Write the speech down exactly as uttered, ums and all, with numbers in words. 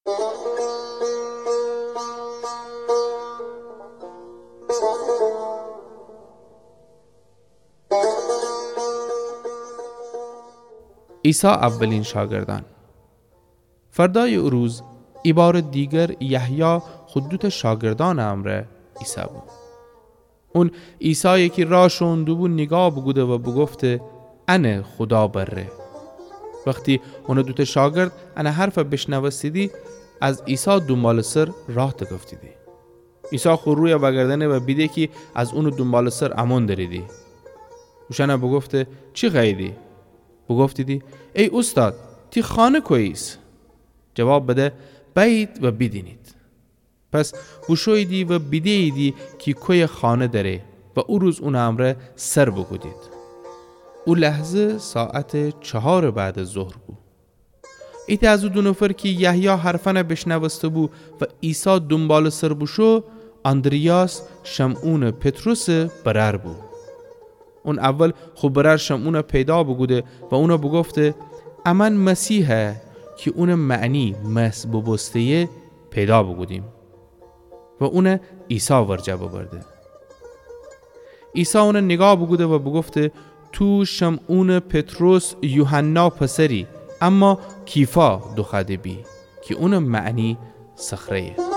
عیسی اولین شاگردأن. فردأیٚ او روز، ایبارٚ دیگر یحیی خو دوتأ شاگردأنٚ امرأ ایسه بو. اون عیسای کی راه شوئون دوبو نیگاه بوکوده و بوگفته: انه خودا بره. وختی اونٚ دوتأ شاگرد انٚ حرف بیشنوستیدی، از عیسی دونبالٚ سر راه تکفتیدی. عیسی خو روی وأگردأنه و بیده کی از اونٚ دونبالٚ سر امون دریدی. اوشأن بوگفته: چی خوأییدی؟ بوگفتیدی: ای اوستاد، تی خانه کوییس؟ جواب بده: بأیید و بیدینید. پس بوشوییدی و بیده‌ییدی کی کویه خانه دأره و او روز اونٚ امرأ سر بوکودید. او لحظه ساعتٚ چهارٚ بعد از ظهر بو. ایتأ از او دو نفر کی یحیی حرفأن بیشنوسته‌بو و عیسی دونبالٚ سر بوشو، آندریاس، شمعونٚ پطرسٚ برأر بو. اون اول خو برأر شمعون پیدا بوکوده و اون بوگفته: امأن مسیح کی اونٚ معنی مسح بوبوسته‌یه پیدا بوکودیم. و اون عیسی ورجه ببرده. عیسی اون نیگاه بوکوده و بوگفته: تو شمعونٚ پطرس یوحنا پسری، اما کیفا دوخوأده بی، کی اونٚ معنی صخره‌یه.